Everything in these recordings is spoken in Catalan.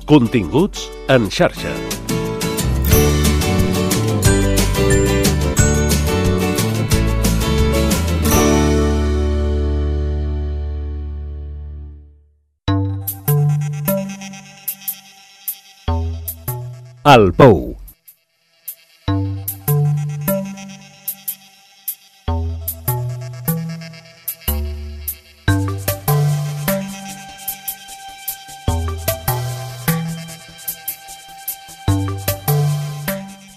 Continguts en xarxa. El Pou.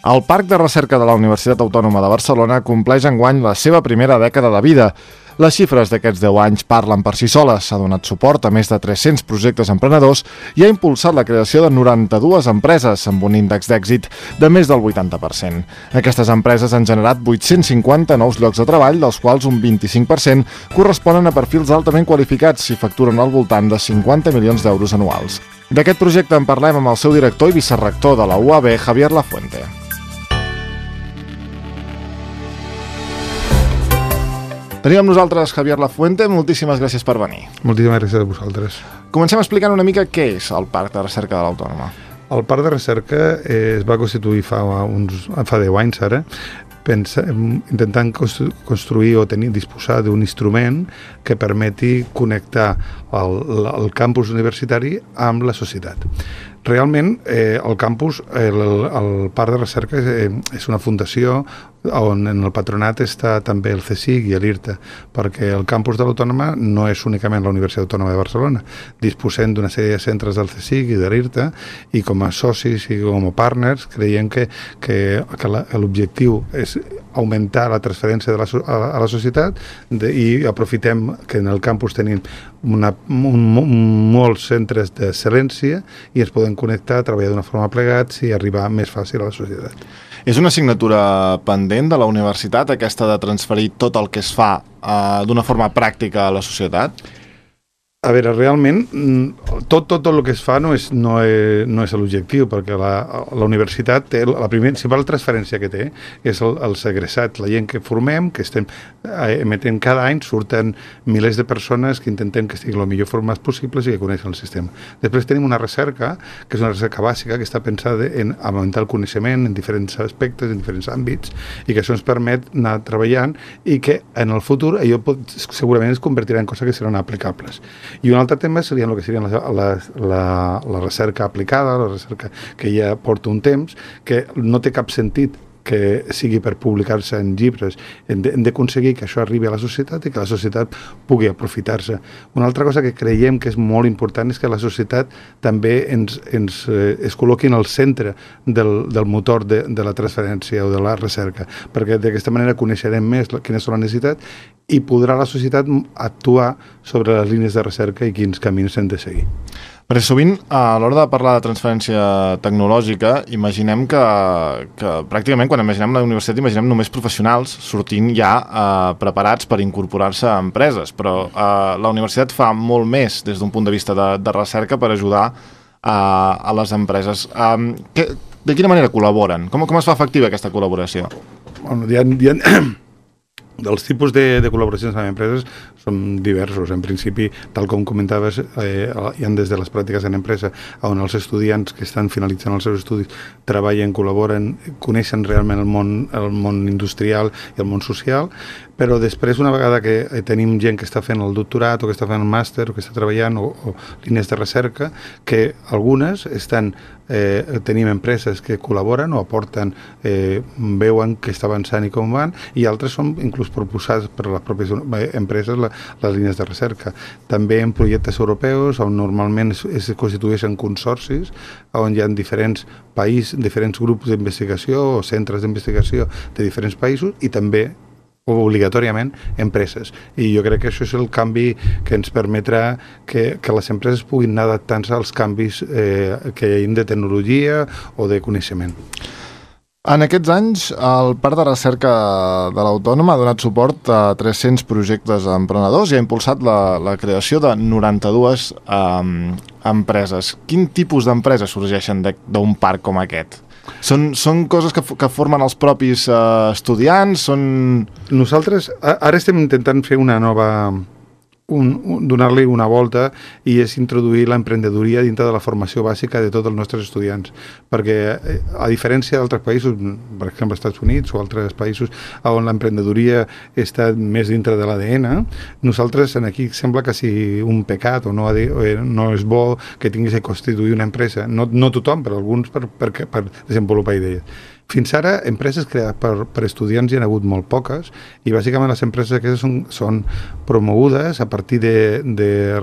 El Parc de Recerca de la Universitat Autònoma de Barcelona compleix enguany la seva primera dècada de vida. Les xifres d'aquests 10 anys parlen per si soles. S'ha donat suport a més de 300 projectes emprenedors i ha impulsat la creació de 92 empreses amb un índex d'èxit de més del 80%. Aquestes empreses han generat 850 nous llocs de treball, dels quals un 25% corresponen a perfils altament qualificats i facturen al voltant de 50 milions d'euros anuals. D'aquest projecte en parlem amb el seu director i vicerrector de la UAB, Javier Lafuente. Tenim amb nosaltres Javier Lafuente, moltíssimes gràcies per venir. Moltíssimes gràcies a vosaltres. Comencem explicant una mica què és el Parc de Recerca de l'Autònoma. El Parc de Recerca es va constituir fa 10 anys ara, intentant construir o disposar d'un instrument que permeti connectar el campus universitari amb la societat. Realment, el campus, el Parc de Recerca és una fundació on en el patronat està també el CSIC i l'IRTA, perquè el campus de l'Autònoma no és únicament la Universitat Autònoma de Barcelona. Disposem d'una sèrie de centres del CSIC i de l'IRTA i com a socis i com a partners creiem que l'objectiu és augmentar la transferència a la societat i aprofitem que en el campus tenim molts centres d'excel·lència i es poden connectar, treballar d'una forma plegats i arribar més fàcil a la societat. És una assignatura pendent de la universitat, aquesta de transferir tot el que es fa d'una forma pràctica a la societat? A veure, realment, tot el que es fa no és l'objectiu, perquè la universitat té la principal transferència que té és els egressats, la gent que formem, que estem emetent cada any, surten milers de persones que intentem que estiguin el millor formats possibles i que coneixen el sistema. Després tenim una recerca, que és una recerca bàsica, que està pensada en augmentar el coneixement en diferents aspectes, en diferents àmbits, i que això ens permet anar treballant i que en el futur allò segurament es convertirà en coses que seran aplicables. I un altre tema seria el que seria la recerca aplicada, la recerca que ja porta un temps, que no té cap sentit que sigui per publicar-se en llibres. Hem d'aconseguir que això arribi a la societat i que la societat pugui aprofitar-se. Una altra cosa que creiem que és molt important és que la societat també es col·loqui en el centre del motor de la transferència o de la recerca, perquè d'aquesta manera coneixerem més quines són les necessitats i podrà la societat actuar sobre les línies de recerca i quins camins hem de seguir. Perquè sovint, a l'hora de parlar de transferència tecnològica, imaginem que pràcticament quan imaginem la universitat imaginem només professionals sortint ja preparats per incorporar-se a empreses, però la universitat fa molt més des d'un punt de vista de recerca per ajudar a les empreses. De quina manera col·laboren? Com es fa efectiva aquesta col·laboració? Bueno, dels tipus de col·laboracions amb empreses són diversos. En principi, tal com comentaves, hi ha des de les pràctiques en empresa on els estudiants que estan finalitzant els seus estudis treballen, col·laboren, coneixen realment el món industrial i el món social, però després, una vegada que tenim gent que està fent el doctorat o que està fent el màster o que està treballant o línies de recerca, que algunes tenim empreses que col·laboren o aporten, veuen que està avançant i com van, i altres són inclús proposats per les pròpies empreses les línies de recerca. També en projectes europeus on normalment es constitueixen consorcis on hi ha diferents grups d'investigació o centres d'investigació de diferents països i també obligatòriament empreses. I jo crec que això és el canvi que ens permetrà que les empreses puguin anar adaptant-se als canvis que hi ha de tecnologia o de coneixement. En aquests anys, el Parc de Recerca de l'Autònoma ha donat suport a 300 projectes emprenedors i ha impulsat la creació de 92 empreses. Quin tipus d'empreses sorgeixen d'un parc com aquest? Són coses que formen els propis estudiants? Nosaltres ara estem intentant fer una nova donar-li una volta i és introduir l'emprenedoria dintre de la formació bàsica de tots els nostres estudiants, perquè a diferència d'altres països, per exemple als Estats Units o altres països on l'emprenedoria està més dintre de l'ADN, nosaltres aquí sembla que sigui un pecat o no és bo que tinguis que constituir una empresa, no tothom, però alguns per desenvolupar idees. Fins ara, empreses creades per estudiants hi ha hagut molt poques i bàsicament les empreses aquestes són promogudes a partir de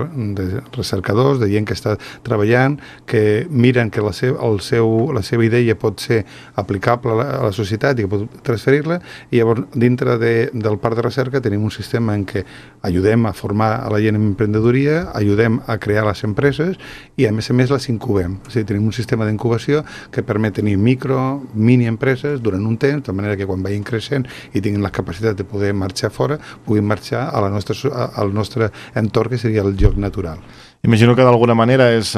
recercadors, de gent que està treballant, que miren que la seva idea pot ser aplicable a la societat i que pot transferir-la, i llavors dintre del parc de recerca tenim un sistema en què ajudem a formar a la gent en emprenedoria, ajudem a crear les empreses i a més les incubem. O sigui, tenim un sistema d'incubació que permet tenir mini empreses durant un temps, de manera que quan vagin creixent i tinguin la capacitat de poder marxar fora, puguin marxar al nostre entorn, que seria el lloc natural. Imagino que d'alguna manera és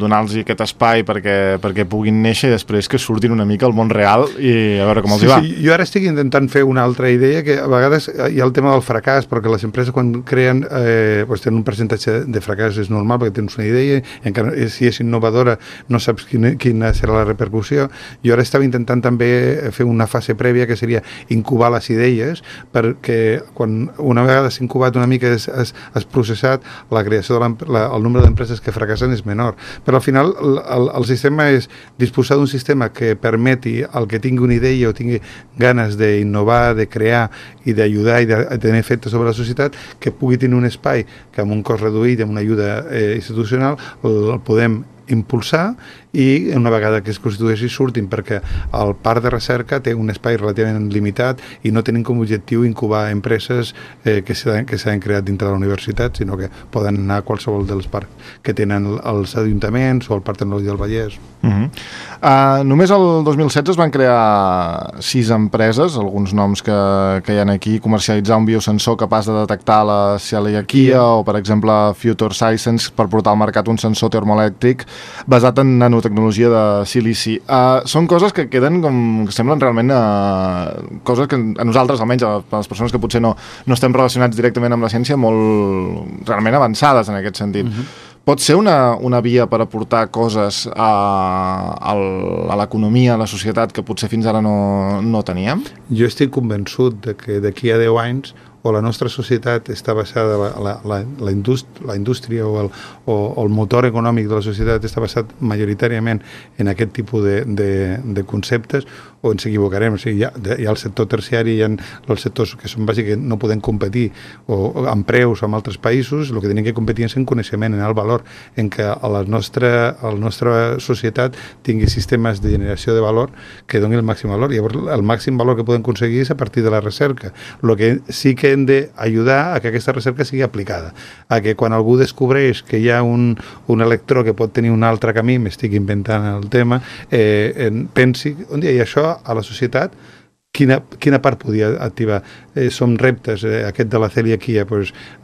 donar-los aquest espai perquè puguin néixer i després que surtin una mica al món real i a veure com els hi va. Sí, jo ara estic intentant fer una altra idea, que a vegades hi ha el tema del fracàs, perquè les empreses quan creen tenen un percentatge de fracàs, és normal, perquè tens una idea i encara si és innovadora no saps quina serà la repercussió. Jo ara estava intentant també fer una fase prèvia que seria incubar les idees, perquè quan una vegada s'ha incubat una mica has processat, la creació el nombre d'empreses que fracassen és menor. Però al final el sistema és disposar d'un sistema que permeti al que tingui una idea o tingui ganes d'innovar, de crear i d'ajudar i de tenir efectes sobre la societat, que pugui tenir un espai que amb un cost reduït i amb una ajuda institucional el podem impulsar i una vegada que es constitueixi surtin, perquè el parc de recerca té un espai relativament limitat i no tenim com a objectiu incubar empreses que s'han creat dintre de la universitat, sinó que poden anar a qualsevol dels parcs que tenen els ajuntaments o el Parc Tecnològic del Vallès. Només el 2016 es van crear 6 empreses, alguns noms que hi ha aquí: comercialitzar un biosensor capaç de detectar la celiaquia o, per exemple, Future Science per portar al mercat un sensor termoelèctric basat en nanotecnologia de silici. Són coses que queden que semblen realment coses que a nosaltres, almenys a les persones que potser no estem relacionats directament amb la ciència, molt realment avançades en aquest sentit. Pot ser una via per aportar coses a l'economia, a la societat, que potser fins ara no teníem? Jo estic convençut de que d'aquí a 10 anys o la nostra societat està basada, la indústria o el motor econòmic de la societat està basat majoritàriament en aquest tipus de conceptes, o ens equivocarem. O sigui, hi ha el sector terciari, hi ha els sectors que són bàsics que no podem competir o amb preus amb altres països. El que tenim que competir és en coneixement, en el valor, en què la nostra societat tingui sistemes de generació de valor que donin el màxim valor. Llavors, el màxim valor que podem aconseguir és a partir de la recerca. El que sí que hem d'ajudar a que aquesta recerca sigui aplicada, a que quan algú descobreix que hi ha un electró que pot tenir un altre camí, m'estic inventant el tema, pensi, un dia, i això a la societat quina part podia activar? Som reptes, aquest de la celiaquia,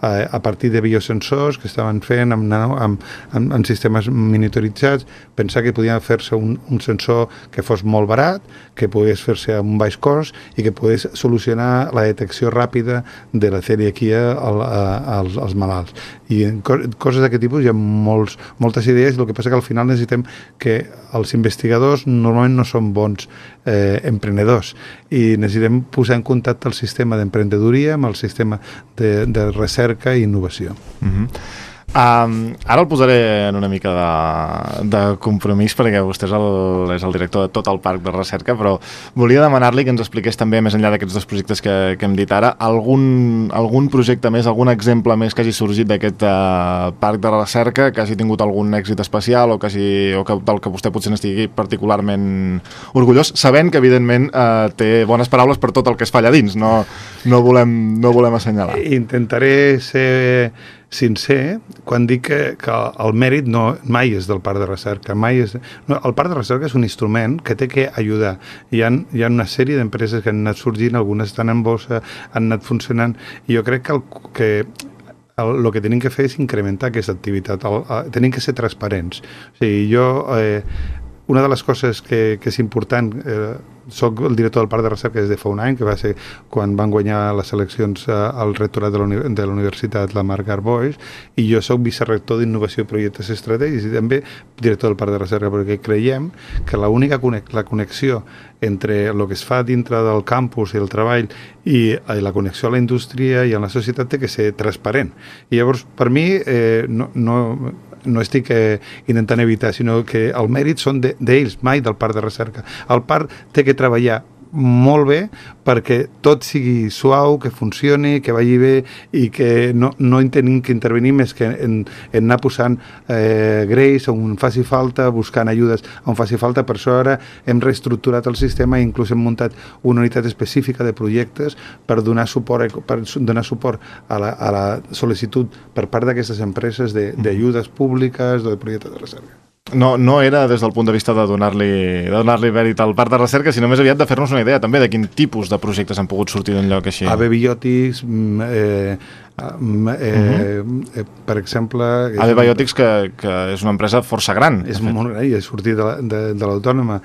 a partir de biosensors que estaven fent amb sistemes monitoritzats, pensar que podia fer-se un sensor que fos molt barat, que pogués fer-se amb un baix cost i que pogués solucionar la detecció ràpida de la celiaquia als malalts. I en coses d'aquest tipus hi ha moltes idees, el que passa que al final necessitem que els investigadors normalment no són bons emprenedors i necessitem posar en contacte el sistema d'emprenedoria amb el sistema de recerca i innovació. Ara el posaré en una mica de compromís, perquè vostè és el director de tot el parc de recerca, però volia demanar-li que ens expliqués també, més enllà d'aquests 2 projectes que hem dit ara, algun projecte més, algun exemple més que hagi sorgit d'aquest parc de recerca, que hagi tingut algun èxit especial o del que vostè potser n'estigui particularment orgullós, sabent que evidentment té bones paraules per tot el que es fa allà dins, no volem assenyalar. Intentaré ser sincer quan dic que el mèrit mai és del parc de recerca. El parc de recerca és un instrument que té que ajudar. Hi ha una sèrie d'empreses que han anat sorgint, algunes estan en bossa, han anat funcionant, i jo crec que el que tenim que fer és incrementar aquesta activitat. Tenim que ser transparents. O sigui, una de les coses que és important, soc el director del Parc de Recerca des de fa un any, que va ser quan van guanyar les eleccions al rectorat de la Universitat la Marc Garboix, i jo soc vicerrector d'Innovació i Projectes Estratègics i també director del Parc de Recerca, perquè creiem que la connexió entre el que es fa dintre del campus i el treball i la connexió a la indústria i a la societat té que ser transparent. I llavors, per mi, no estic intentant evitar, sinó que el mèrit són d'ells, mai del Parc de Recerca. El parc té que treballar molt bé perquè tot sigui suau, que funcioni, que vagi bé i que no tenim que intervenir més que en anar posant greix on faci falta, buscant ajudes on faci falta. Per això ara hem reestructurat el sistema i inclús hem muntat una unitat específica de projectes per donar suport a la sol·licitud per part d'aquestes empreses d'ajudes públiques o de projectes de recerca. No era des del punt de vista de donar-li mèrit al Parc de Recerca, sinó més aviat de fer-nos una idea també de quin tipus de projectes han pogut sortir d'un lloc així. AB Biotics, per exemple... AB Biotics, que és una empresa força gran. És molt gran i ha sortit de l'Autònoma.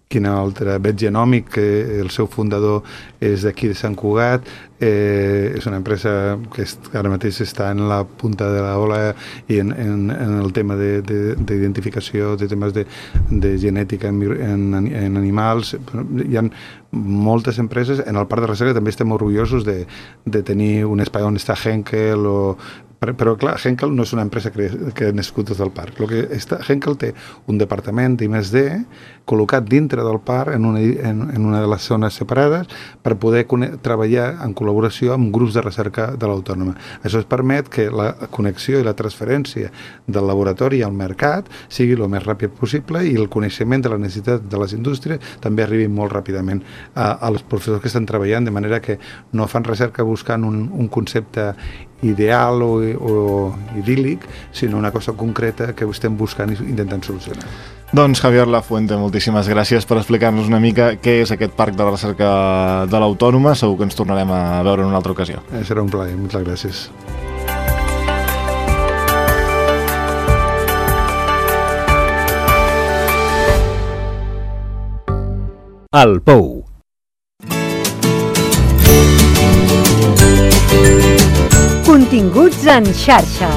Quin altre? Vet Genòmic, que el seu fundador és d'aquí de Sant Cugat, és una empresa que ara mateix està en la punta de l'ola i en el tema d'identificació de temes de genètica en animals. Hi ha moltes empreses. En el Parc de Recerca també estem orgullosos de tenir un espai on està Henkel però clar, Henkel no és una empresa que ha nascut des del parc. Henkel té un departament d'I+D col·locat dintre del parc en una de les zones separades per poder treballar en col·laboració amb grups de recerca de l'Autònoma. Això es permet que la connexió i la transferència del laboratori al mercat sigui el més ràpid possible i el coneixement de la necessitat de les indústries també arribi molt ràpidament als professors que estan treballant, de manera que no fan recerca buscant un concepte ideal o idíl·lic, sinó una cosa concreta que estem buscant i intentant solucionar. Doncs Javier Lafuente, moltíssimes gràcies per explicar-nos una mica què és aquest Parc de Recerca de l'Autònoma. Segur que ens tornarem a veure en una altra ocasió. Serà un plaer, moltes gràcies. El Pou. Continguts en xarxa.